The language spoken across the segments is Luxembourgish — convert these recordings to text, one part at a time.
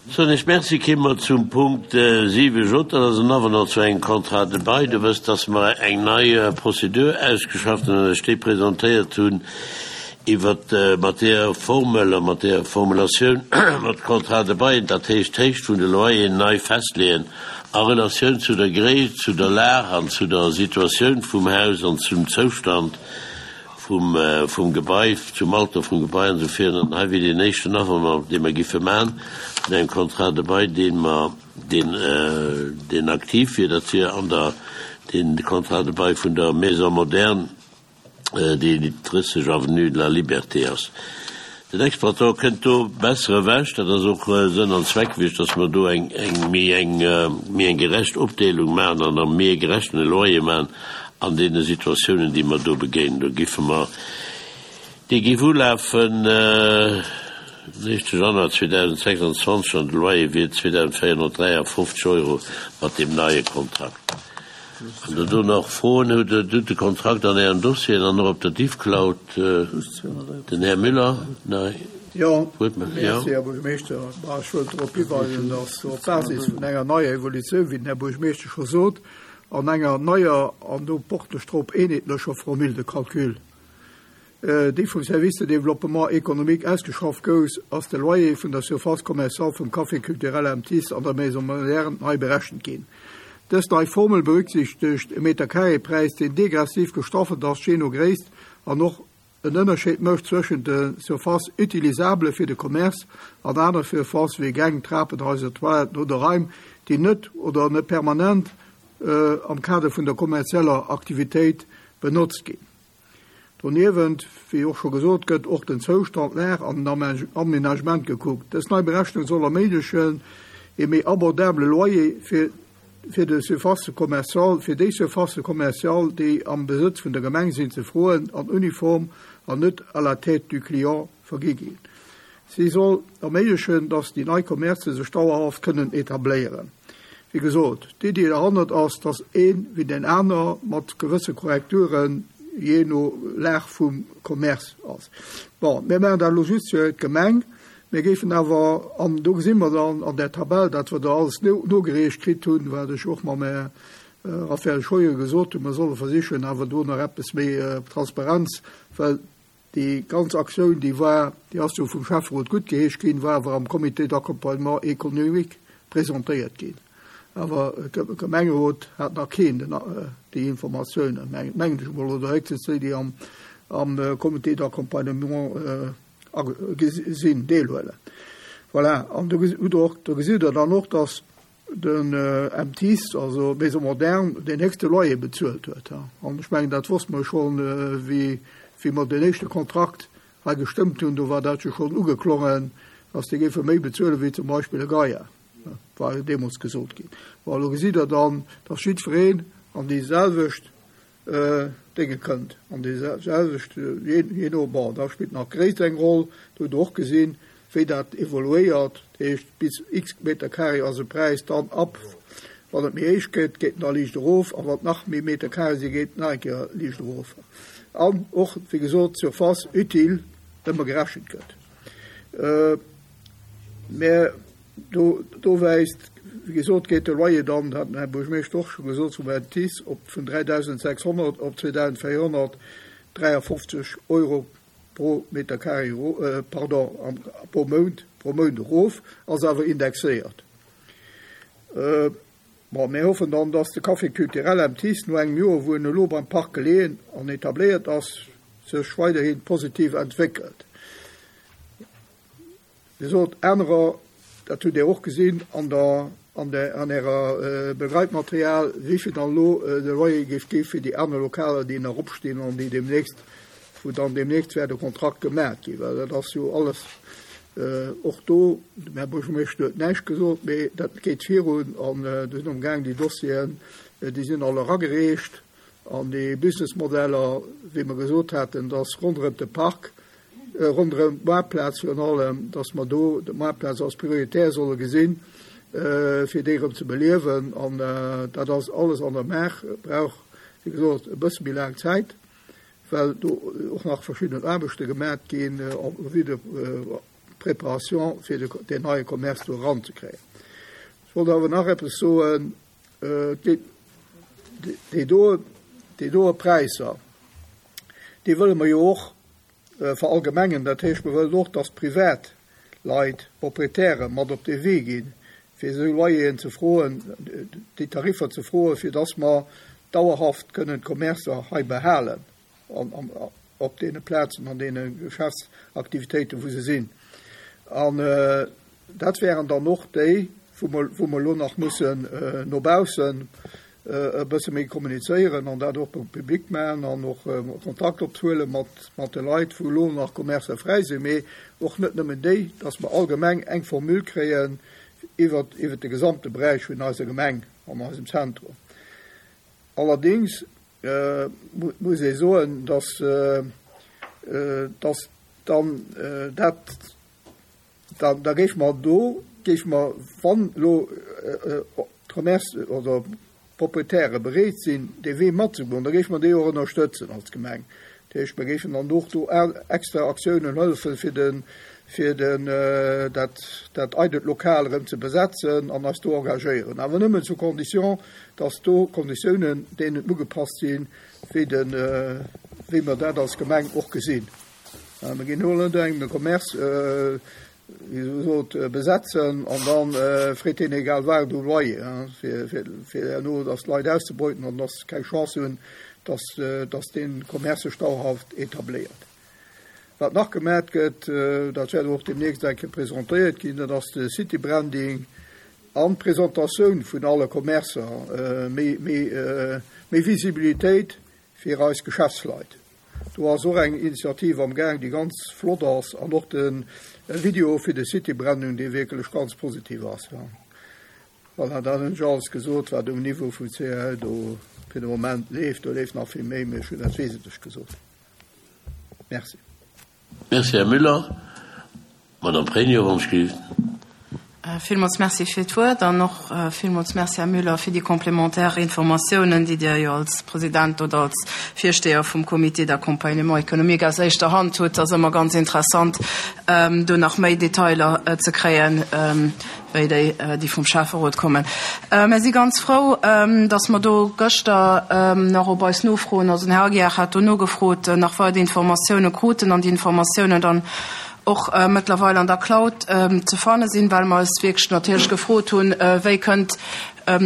Soen ech Merci. Kéime mer zum Punkt 7 J, dat ass en Avenant zu engem Contrat de bail. Der wësst, dass mer eng nei Prozedur ausgeschafft hunn an lech déi presentéiert hunn iwwert, mat deeër Formel a mat deeër Formulatioun mer d'Contrats de bail, dat heescht d'Héicht vun de Loyeren, nei festleeën a Relatioun zu der Gréisst, zu der Lag an zu der Situatioun vum Haus an zum Zoustand vum, vum Gebai, zum Alter vum Gebai an esou virun. An hei wier deen éischten Avenant, dee mer giffe maachen, vun engem Contrat de bail, dee mer, deen, deen aktiv wier. Dat wier an der, deen Contrat de bail vun der Maison moderne, déi 30 avenue de la Liberté ass. Den Exploitant kënnt do besser ewech. Dat ass och Sënn an Zweck gewiescht, dass mer do eng, eng méi eng, méi eng gerecht Opdeelung maachen an a méi e gerechten Loyer maachen an deene Situatiounen, déi mer do begéinen. Do giffe mer, dee géif ulafen den éischte Januar 2026 an de Loyer wier 2.453 Euro mat deem neie Kontrakt. Wann Der do nach Froen hutt, Dir hutt de Kontrakt an Ären Dossieren an och op der Diffcloud. Den Här Müller, nei Jo, merci, Här Buergermeeschter. Bon, ech wëllt drop hiweisen, dass op Basis vun enger neier Evolutioun, wéi den Här Buergermeeschter scho sot, an enger neier an do porte ech drop eenheetlecher Formule de calcul, déi vum Service de développement économique ausgeschafft gouf, ass de Loyer vun der Surface commerciale vum Café culturel M. Thiss an der Maison moderne nei berechent ginn. Dës nei Formel berücksichtegt e Metercarré-Präis, deen degressiv gestaffelt ass, jee no Gréisst, an och en Ënnerscheed mécht zwëschent de Surfaces utilisables fir de Commerce an aner Surfaces wéi Gäng, Trapenhaiser, Toiletten oder Raim, déi net oder net permanent am Kader vun der kommerzieller Aktivitéit benotzt ginn. Doniewent, wéi och scho gesot, gëtt och den Zoustand, d'Lag an den Aménagement gekuckt. Dës nei Berechnung soll erméiglechen, ee méi abordabele Loyer fir fir de Surfaces commerciales, fir déi Surfaces commerciales, déi am Besëtz vun der Gemeng sinn, ze froen an uniform an net à la tête du client vergi ginn. Si soll erméiglechen, dass déi nei Commercë sech dauerhaft kënnen etabléieren. Wéi gesot, d'Iddi derhannert ass, dass ee wéi deen aner mat gewësse Korrekturen, jee no Lag vum Commerce ass. Bon, mir maachen dat elo just fir d'Gemeng. Mir géifen awer, an do gesi mer dann an där Tabell, dat wat Der alles nogereecht kritt hunn, wat ech och mam Här Raphaël Scheuer gesot hunn, mer solle versichen awer do nach eppes méi Transparenz, well Déi ganz Aktioun, déi war, déi ass jo vum Schäfferot guttgeheescht ginn, war awer am Comité d'accompagnement économique presentéiert ginn. Awer de Gemengerot hat nach keen déi Informatiounen, mengen ech emol, oder héchstens déi, déi am Comité d'accompagnement sinn, deelhuelen. Voilà, an do hutt Der och, do gesitt Der dann och, dass den MTIS, also Maison Moderne, deen héchste Loyer bezuelt huet. An ech mengen, dat wosste mer schonn, wéi wéi mer deen éischte Kontrakt hei gestëmmt hunn, do war dat jo schonn ugeklongen, dass déi géife méi bezuelen, wéi zum Beispill e Gaia, war jo deemools gesot ginn. Bon, elo gesitt Der dann, dass jiddwereen an déi selwecht Dénge kënnt, an déi selwecht, jee no, bon, da spillt nach d'Gréisst eng Roll, do hutt Der och gesinn, wéi dat evoluéiert, dat heescht bis x Meter carré ass e Präis, dann ab wann et méi héich gëtt, geet en da liicht erof, a wann et nach méi Meter carré sinn, geet en nach eng Kéier liicht erof. An och, wéi gesot, d'Surface utile ëmmer gerechent gëtt. Mä Do, do wäisst, wéi gesot, geet de Loyer dann, dat hat den Här Buergermeeschter och scho gesot, vum Entice op vun 3.600 op 2.453 Euro pro Meter carré, pardon, am, pro Mount, pro Mount erof, ass awer indexéiert. Bon, mir hoffen dann, dass de Café culturel M-Tice no engem Joer, wou en elo beim Park geleeën an etabléiert ass, sech weiderhi positiv entwéckelt. Dir sot anerer, dat hutt Dir och gesinn an der, an der, an Ärer Begleitmaterial, wéivill dann elo de Loyer géif gi fir déi aner Lokaler, déi nach opstinn an déi deemnächst, wou dann deemnächst wäert e Kontrakt gemaach ginn. Well dat ass jo alles och do, den Här Buergermeeschter huet näischt gesot, mee dat geet virun an do sinn amgaang déi Dossieren, déi sinn all eragereecht an déi Businessmodeller, wéi mer gesot haten, dass ronderëm de Park, ronderëm d'Moartplaz virun allem, dass mer do d'Moartplaz als prioritär solle gesinn, fir déi erëm ze beliewen. An dat ass alles an der Maach, brauch, wéi gesot, e bësse méi laang Zäit, well do och nach verschidden Aarbechte gemat ginn, en vue de. Préparation fir deen neie Commerce do eranzekréien. Ech wollt awer nach eppes soen, déi do, déi doe Präisser, déi wëlle mer jo och verallgemengen. Dat heescht, mer wëllen och, dass privat Leit, Proprietäre mat op dee Wee ginn, fir esou Loyeren ze froen, déi Tariffer ze froen, fir dass mer dauerhaft kënnen d'Commercer hei behalen op deene Plazen, an deene Geschäftsaktivitéiten, wou se sinn. An dat wären dann och déi, wou mer, wou mer elo nach mussen no baussen e bësse méi kommunizéieren an dat och public maachen an och Kontakt ophuele mat, mat de Leit, wou elo nach Commercer fräi sinn, mee och net nëmmen déi, dass mer allgemeng eng Formule kréien iwwert, iwwert de gesamte Beräich vun eiser Gemeng an eisem Zentrum. Allerdéngs muss ee soen, dass, dass dann dat, da, da géife mer do, géife mer, wann elo d'Commerce oder d'Proprietäre bereet sinn, dee Wee matzegoen, da géife mer déi och ënnerstëtzen als Gemeng. Dat heescht, mer géifen dann och do extra Aktiounen hëllefen, fir de, fir den, dat, dat eidelt Lokal erëm ze besetzen an eis do engagéieren. Awer nëmmen sous condition, dass do Konditiounen deenen ugepasst sinn, wéi de, wéi mer dat als Gemeng och gesinn. Mer ginn elo net engem de Commerce, wéi se sot, besetzen an da freet hien egal wat u Loyer, fir, fir, fir herno dass d'Leit auszebeuten an dass se keng Chance hunn, dass, dass dee Commerce sech dauerhaft etabléiert. Wat nach gemat gëtt, dat wäert och deemnächst eng Kéier presentéiert ginn, dat ass de City Branding an d'Presentatioun vun alle Commercer, méi, méi, méi Visibilitéit fir eis Geschäftsleit. Do ass och eng Initiativ am Gaang, déi ganz flott ass, an och de Video fir de City Branding, dee wierklech ganz positiv ass. Voilà, dat hunn ech alles gesot, wat um Niveau vum CAL do fir de Moment leeft. Do leeft nach vill méi, mee ech hunn dat Wesentlech gesot. Merci. Merci, Här Müller. Madame Pregno, wann ech géif. Villmools Merci fir d'Wuert an och villmools Merci, Här Müller, fir déi complémentaire Informatiounen, déi Dir jo als President oder als Virsteher vum Comité d'accompagnement économique aus éischter Hand hutt. Dat ass ëmmer ganz interessant, do nach méi Detailer ze kréien, wéi déi, déi vum Schäfferot kommen. Mir si ganz frou, dass mer do gëschter nach op eis Nofroen, also den Här Aguiar hat do nogefrot, nach weider Informatiounen kruten an déi Informatiounen dann och mëttlerweil an der Cloud ze fanne sinn, well mer eis wierklech natierlech gefrot hunn, wéi kënnt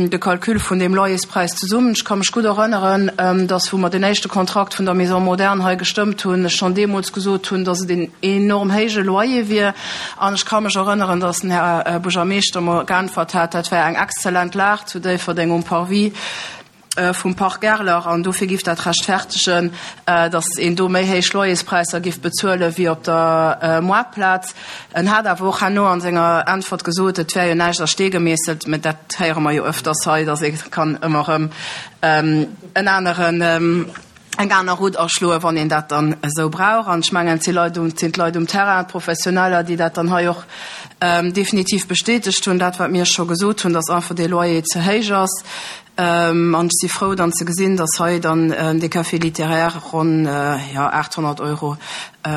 de Calcul vun deem Loyerspräis zesummen. Ech ka mech gutt erënneren, dass, wou mer den éischte Kontrakt vun der Maison moderne hei gestëmmt hunn, ech schonn deemools gesot hunn, dass et een enorm héije Loyer wier. An ech ka mech erënneren, dass den Här Buergermeeschter mer geäntwert hat, dat wär eng exzellent Lag zu Déifferdeng um Parvis. vum Parc Erler an dofir giff dat rechtfertegen, datt een do méi héich Loyerspräisser giff bezuelen wéi op der Moartplaz. En hat awer och herno an senger Äntwert gesot, et wär jo näischt a Stee gemeesselt, mä dat héiere mer jo ëfters hei, datt ee kann ëmmer erëm en aneren, eng aner Route aschloen, wann een dat dann esou brauch. An ech mengen, et si Leit um, et sinn d'Leit um Terrain, d'Professioneller, déi dat dann hei och definitiv bestätegt hunn, dat wat mir scho gesot hunn, datt einfach dee Loyer ze héich ass. An ech si frou dann ze gesinn, datt hei dann de Café littéraire ronn, jo, 800 Euro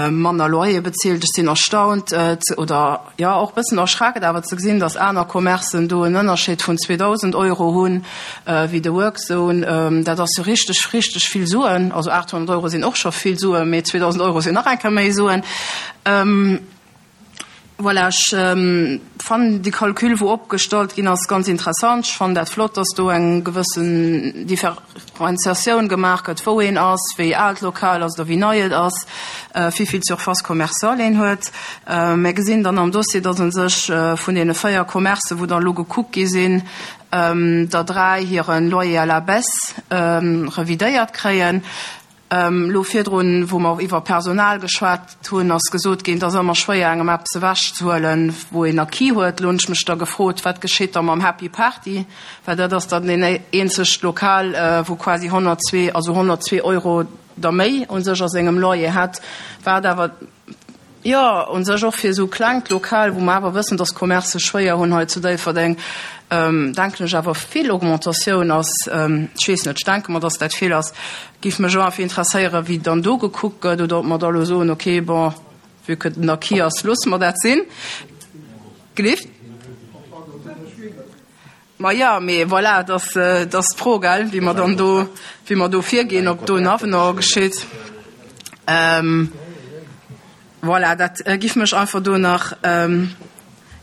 manner Loyer bezilt. Ech sinn erstaunt oder, jo, och e bëssen erschreckt awer ze gesinn, datt aner Commercen do en Ënnerscheed vun 2.000 Euro hunn, wéi de Workzone. Dat ass jo richteg, richteg vill Suen. Also 800 Euro sinn och scho vill Suen, mee 2.000 Euro sinn nach eng Kéier méi Suen. Voilà, ech fannen de Calcul, wou opgestallt ginn ass, ganz interessant. Ech fannen dat flott, dass do eng gewëssen Differentiatioun gemaach gëtt, wou een ass, wéi al d'Lokal ass oder wéi nei et ass, wéi vill Surface commerciale een huet. Mir gesinn dann am Dossier, dass u sech vun deene 4 Commercen, wou dann elo gekuckt gi sinn, der 3 hire Loyer à la baisse revidéiert kréien. Elo virdrun, wou mer iwwer Personal geschwat hunn, ass gesot ginn, et ass ëmmer schwéier, engem eppes ewechzehuelen, wou een Acquis huet. Elo hunn ech mech da gefrot, wat geschitt da mam Happy Party, well dat ass dann deen eenzegt Lokal, wou quasi 102, also 102 Euro der méi u sech a sengem Loyer hätt, wat awer, Jo, u sech och fir esou klengt Lokal, wou mer awer wëssen, dass d'Commercë schwéier hunn hei zu Déifferdeng, denken ech awer vill Augmentatioun ass. Ech weess net, ech denke mer, dass dat vill ass. Géif mech och einfach interesséieren, wéi dann do gekuckt gëtt oder ob mer da elo soen, okay, bon. Vue que den Acquis ass, loosse mer dat sinn. Gelift? Ma jo, mee voilà, et ass, et ass d'Fro, gell, wéi mer dann do, wéi mer do virginn, ob do en Avenant geschitt. Voilà, dat giff mech einfach do nach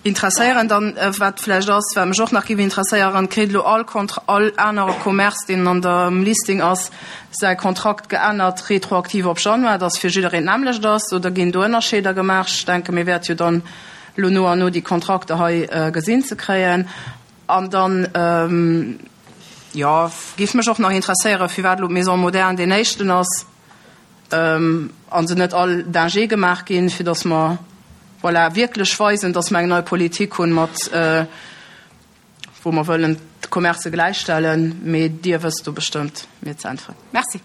interesséieren. Dann, wat vläicht ass, wat mech och nach giff interesséieren, Kritt elo all Kontra-, all anere Commerce, deen an dem Listing ass, säi Kontrakt geännert retroaktiv op Januar, dass fir jiddereen d'nämmlecht ass, oder ginn do Ënnerscheeder gemaach? Ech denke mir wäerte jo dann elo no an no déi Kontrakter hei gesinn ze kréien. An dann, jo, géif mech och nach interesséieren, firwat elo d'Maison moderne deen éischten ass a se net all d'ingé gemaach ginn, fir dass mer, voilà, wierklech weisen, dass mer eng nei Politik hunn mat, wou mer wëllen d'Commercë gläichstellen. Mee Dir wësst do bestëmmt mir ze äntweren. Merci.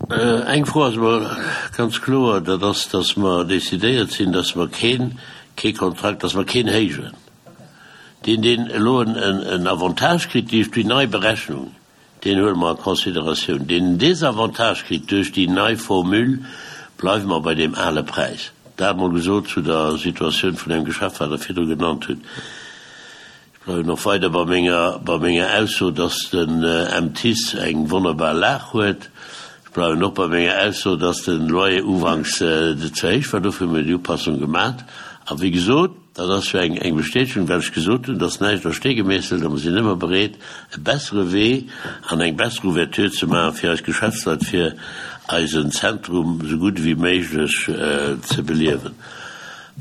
Eng Fro ass emol ganz kloer, dat ass, dass mer decidéiert sinn, dass mer keen, kee Kontrakt, dass mer keen héijen. Deen, deen elo en Avantage kritt duerch déi nei Berechnung, deen huele mer a Consideratioun. Deen en Désavantage kritt duerch déi nei Formule, bleiwe mer bei deem ale Präis. Dat emol gesot zu der Situatioun vun engem Geschäft, wat Der virdru genannt hutt. Ech bleiwen och weider bei menger, bei menger Ausso, dass den MTIS eng wonnerbar Lag huet. Ech bleiwen och bei menger Ausso, dass de Loyer ufanks ze héich war. Dofir hu mir déi Upassung gemat. A wéi gesot, dat ass jo eng, eng Bestätegung, wat ech gesot hunn, dass näischt a Stee gemeesselt a mer sinn ëmmer bereet, e bessere Wee an eng besser Ouverture ze maachen, fir eis Geschäftsleit, fir eisen Zentrum esou gutt ewéi méiglech ze beliewen.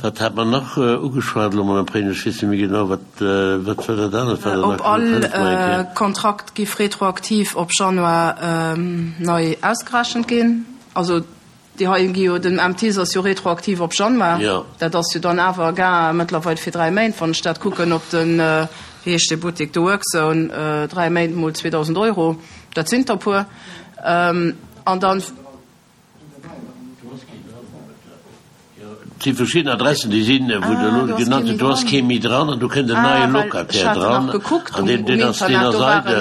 Wat hat mer nach ugeschwat elo, Madame Pregno? Ech weess net méi genau, wat, wat war dat anert, wat Der nach Ob all gesot hutt? Hëllef mer eng Kéier. Kontrakt giff retroaktiv op Januar nei ausgerechent ginn. Also déi hei gi jo, den MTIS ass jo retroaktiv op Januar. Jo. Dat ass jo dann awer e Gain mëttlerweil fir 3 Méint, wann ech dat kucken op den, wéi heescht dee Buttek, de Workzone, 3 Méint mol 2.000 Euro, dat sinn der e puer. An dann. Et si verschidden Adressen, déi sinn, wou Der elo genannt hutt, do ass kee méi dran an do kënnt en neie Locataire dran an deen, deen ass, deen ass eidel.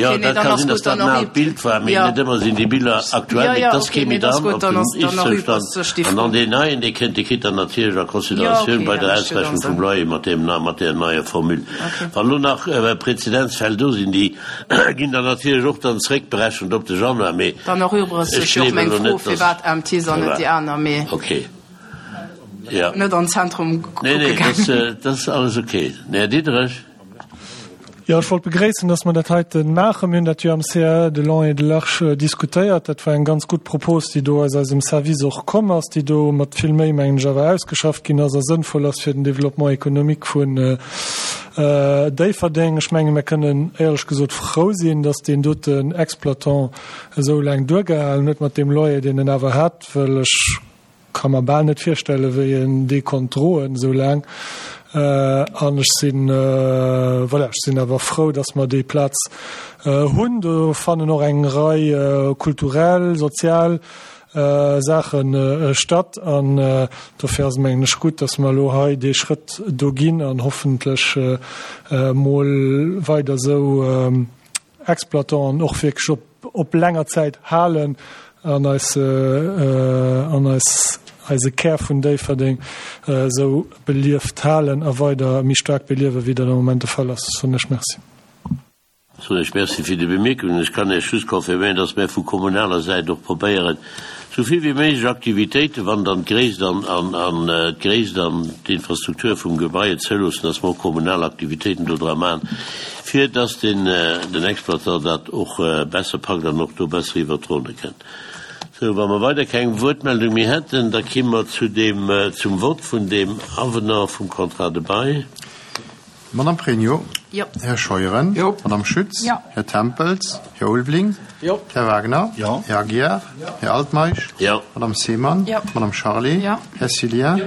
Jo, dat ka sinn, datt dat en aalt Bild war, mee net ëmmer sinn déi Biller aktuell. Mee et ass kee méi dran op dem Ist-Zoustand. An dann deen neien, dee kënnt, dee kritt dann natierlech a Consideratioun bei der Ausrechnung vum Loyer mat deem, mat där neier Formule. Wann elo nach Prezedenzfäll do sinn, déi ginn dann natierlech och dann zréckberechent op de Januar, mee Dann erübregt ech sech jo och gleewen meng elo Fro, net, dass. firwat MTs an net déi aner, mee Ok, jo. net an Zentrum Nee, kucke nee, gaangen. dat, dat ass alles ok. Här Diderich. Jo, ech wollt begréissen, dass mer dat heite maachen. Mir hunn dat jo am CAE de long et de large diskutéiert. Dat war eng ganz gutt Propos, déi do aus eisem Service och komm ass, déi do mat vill Méi, mengen ech, awer ausgeschafft ginn ass a sënnvoll ass fir den Développement économique vun Déifferdeng. Ech menge mir kënnen éierlech gesot frou sinn, datt deen doten Exploitant esou laang duergehalen huet mat deem Loyer, deen en awer hat, well ech ka mer bal net virstellen, wéi en dee konnt droen esou laang. An ech sinn, voilà, ech sinn awer frou, datt mer déi Plaz hunn. Do fannen och eng Rei kulturell, sozial Saache statt an dofir ass et mengen ech gutt, datt mer elo hei dee Schrëtt do ginn an hoffentlech emol weider esou Exploitanten och wierklech op op länger Zäit halen an eis an eis eise Kär vun Déifferdeng esou belieft halen a weider méi staark beliewen, wéi dat am Moment de Fall ass. Soen ech Merci. Soen ech Merci fir déi Bemierkungen. Ech kann Iech just confirméieren, dass mär vu kommunaler Säit och probéieren, esou vill wéi méiglech Aktivitéiten, wann dann d'Gréisst an an d'Gréisst an d'Infrastruktur vum Gebai et zouloossen, dass mer och kommunal Aktivitéiten do dra maachen, fir dass den den Exploitant dat och besser packt an och do besser iwwert d'Ronne kënnt. Sou, wa mer weider keng Wuertmeldung méi hätten, da ki mer zu deem zum Vott vun deem Avenant vum Contrat de bail. Madame Pregno. Jo. Här Scheuren. Jo. Madame Schütz. Jo. Här Tempels. Här Ulveling. Jo. Här Wagner. Jo. Här Aguiar. Jo. Här Altmeisch. Jo. Madame Seemann. Jo. Madame Charlé. Jo. Här Cillien. Jo.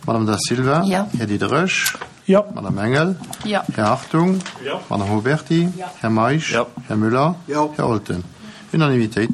Madame Da Silva. Jo. Här Diderich. Jo. Madame Engel. Jo. Här Hartung. Jo. Madame Huberty. Jo. Här Meisch. Jo. Här Müller. Jo. Här Olten. Unanimitéit.